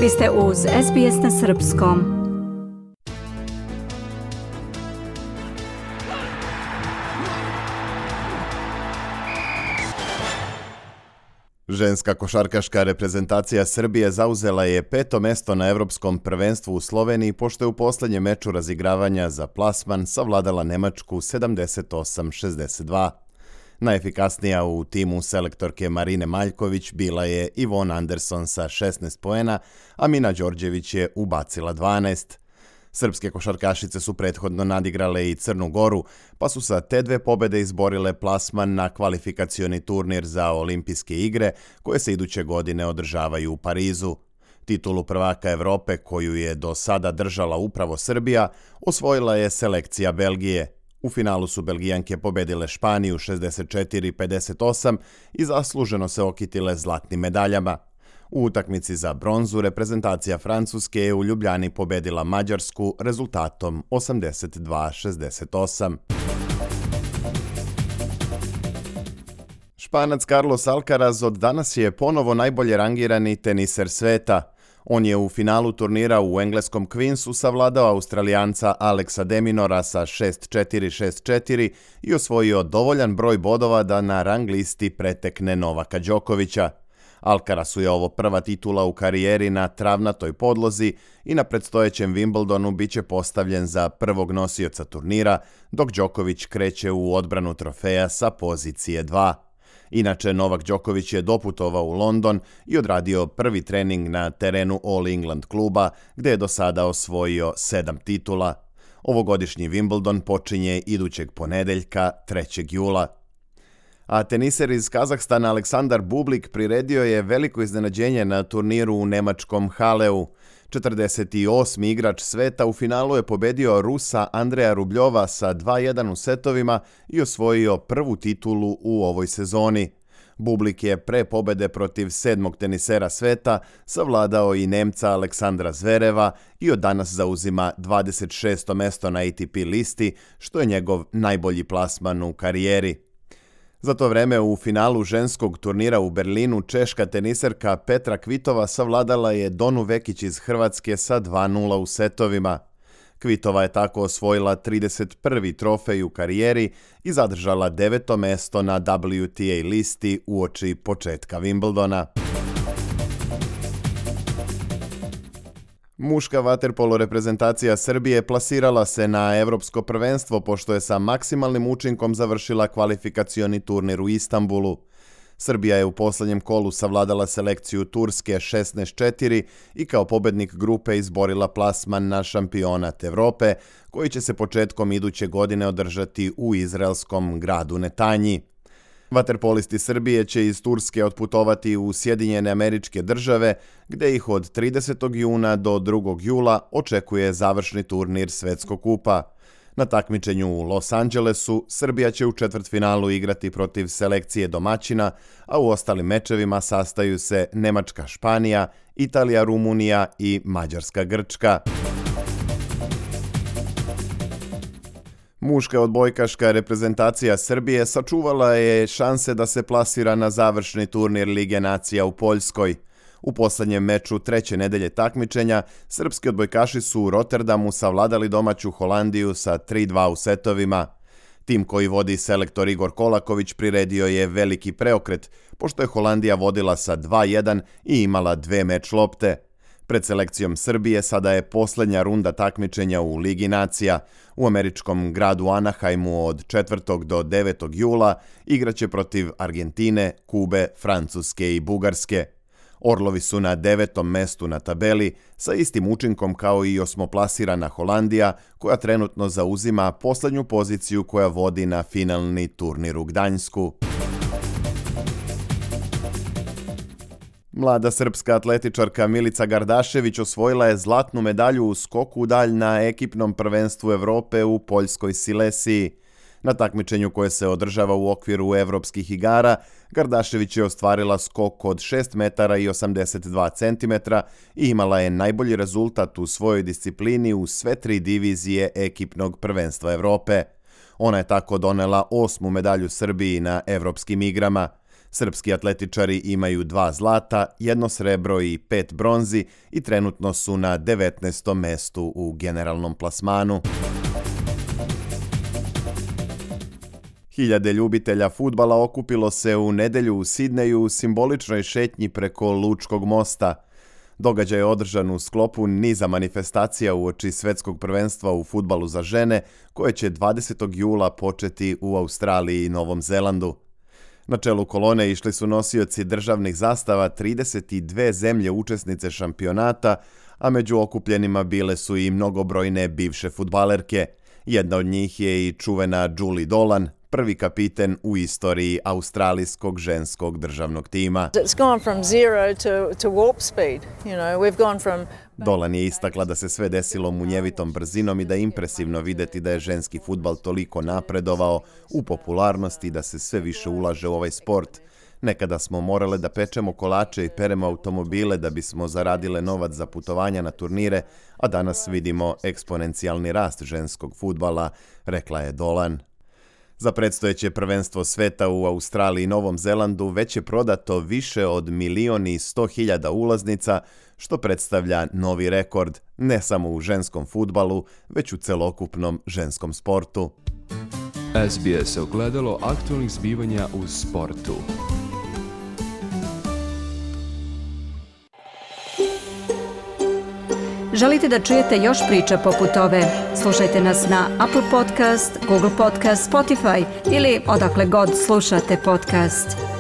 Vi ste uz SBS na srpskom. Ženska košarkaška reprezentacija Srbije zauzela je 5. mesto na Evropskom prvenstvu u Sloveniji pošto je u poslednjem meču razigravanja za plasman savladala Nemačku 78-62. Najefikasnija u timu selektorke Marine Maljković bila je Ivona Anderson sa 16 poena, a Mina Đorđević je ubacila 12. Srpske košarkašice su prethodno nadigrale i Crnu Goru, pa su sa te dve pobede izborile plasman na kvalifikacioni turnir za olimpijske igre koje se iduće godine održavaju u Parizu. Titulu prvaka Evrope, koju je do sada držala upravo Srbija, osvojila je selekcija Belgije. U finalu su Belgijanke pobedile Španiju 64-58 i zasluženo se okitile zlatnim medaljama. U utakmici za bronzu reprezentacija Francuske je u Ljubljani pobedila Mađarsku rezultatom 82-68. Španac Carlos Alcaraz od danas je ponovo najbolje rangirani teniser sveta. On je u finalu turnira u engleskom Queensu savladao Australijanca Alexa de Minaura sa 6-4-6-4 i osvojio dovoljan broj bodova da na rang listi pretekne Novaka Đokovića. Alcarazu je ovo prva titula u karijeri na travnatoj podlozi i na predstojećem Wimbledonu biće postavljen za prvog nosioca turnira, dok Đoković kreće u odbranu trofeja sa pozicije 2. Inače, Novak Đoković je doputovao u London i odradio prvi trening na terenu All England kluba, gde je do sada osvojio 7 titula. Ovogodišnji Wimbledon počinje idućeg ponedeljka 3. jula. A teniser iz Kazahstana Aleksandar Bublik priredio je veliko iznenađenje na turniru u nemačkom Haleu. 48. igrač sveta u finalu je pobedio Rusa Andreja Rubljova sa 2-1 u setovima i osvojio prvu titulu u ovoj sezoni. Bublik je pre pobede protiv 7. tenisera sveta savladao i Nemca Aleksandra Zvereva i od danas zauzima 26. mesto na ATP listi, što je njegov najbolji plasman u karijeri. Za to vreme u finalu ženskog turnira u Berlinu češka teniserka Petra Kvitova savladala je Donu Vekić iz Hrvatske sa 2-0 u setovima. Kvitova je tako osvojila 31. trofej u karijeri i zadržala 9. mesto na WTA listi uoči početka Wimbledona. Muška vaterpolo reprezentacija Srbije plasirala se na Evropsko prvenstvo pošto je sa maksimalnim učinkom završila kvalifikacioni turnir u Istanbulu. Srbija je u poslednjem kolu savladala selekciju Turske 16-4 i kao pobednik grupe izborila plasman na šampionat Evrope, koji će se početkom iduće godine održati u izraelskom gradu Netanji. Vaterpolisti Srbije će iz Turske otputovati u Sjedinjene Američke Države, gde ih od 30. juna do 2. jula očekuje završni turnir Svetskog kupa. Na takmičenju u Los Angelesu Srbija će u četvrtfinalu igrati protiv selekcije domaćina, a u ostalim mečevima sastaju se Nemačka Španija, Italija Rumunija i Mađarska Grčka. Muška odbojkaška reprezentacija Srbije sačuvala je šanse da se plasira na završni turnir Lige nacija u Poljskoj. U poslednjem meču treće nedelje takmičenja, srpski odbojkaši su u Rotterdamu savladali domaću Holandiju sa 3-2 u setovima. Tim koji vodi selektor Igor Kolaković priredio je veliki preokret, pošto je Holandija vodila sa 2-1 i imala 2 meč lopte. Pred selekcijom Srbije sada je poslednja runda takmičenja u Ligi nacija. U američkom gradu Anaheimu od 4. do 9. jula igraće protiv Argentine, Kube, Francuske i Bugarske. Orlovi su na 9. mestu na tabeli sa istim učinkom kao i osmoplasirana Holandija, koja trenutno zauzima poslednju poziciju koja vodi na finalni turnir u Gdańsku. Mlada srpska atletičarka Milica Gardašević osvojila je zlatnu medalju u skoku u dalj na ekipnom prvenstvu Evrope u poljskoj Silesiji. Na takmičenju koje se održava u okviru evropskih igara, Gardašević je ostvarila skok od 6 metara i 82 centimetra i imala je najbolji rezultat u svojoj disciplini u sve 3 divizije ekipnog prvenstva Evrope. Ona je tako donela 8. medalju Srbiji na evropskim igrama. Srpski atletičari imaju 2 zlata, 1 srebro i 5 bronzi i trenutno su na 19. mestu u generalnom plasmanu. Hiljade ljubitelja fudbala okupilo se u nedjelju u Sidneju u simboličnoj šetnji preko Lučkog mosta. Događaj je održan u sklopu niza manifestacija uoči Svetskog prvenstva u fudbalu za žene, koje će 20. jula početi u Australiji i Novom Zelandu. Na čelu kolone išli su nosioci državnih zastava 32 zemlje učesnice šampionata, a među okupljenima bile su i mnogobrojne bivše fudbalerke. Jedna od njih je i čuvena Julie Dolan, prvi kapiten u istoriji australijskog ženskog državnog tima. Dolan je istakla da se sve desilo munjevitom brzinom i da je impresivno vidjeti da je ženski fudbal toliko napredovao u popularnosti i da se sve više ulaže u ovaj sport. Nekada smo morale da pečemo kolače i peremo automobile da bismo zaradile novac za putovanja na turnire, a danas vidimo eksponencijalni rast ženskog fudbala, rekla je Dolan. Za predstojeće prvenstvo sveta u Australiji i Novom Zelandu već je prodato više od 1.100.000 ulaznica, što predstavlja novi rekord, ne samo u ženskom fudbalu, već u celokupnom ženskom sportu. SBS ogledalo aktualnih zbivanja u sportu. Želite da čujete još priča poput ove? Slušajte nas na Apple Podcast, Google Podcast, Spotify ili odakle god slušate podcast.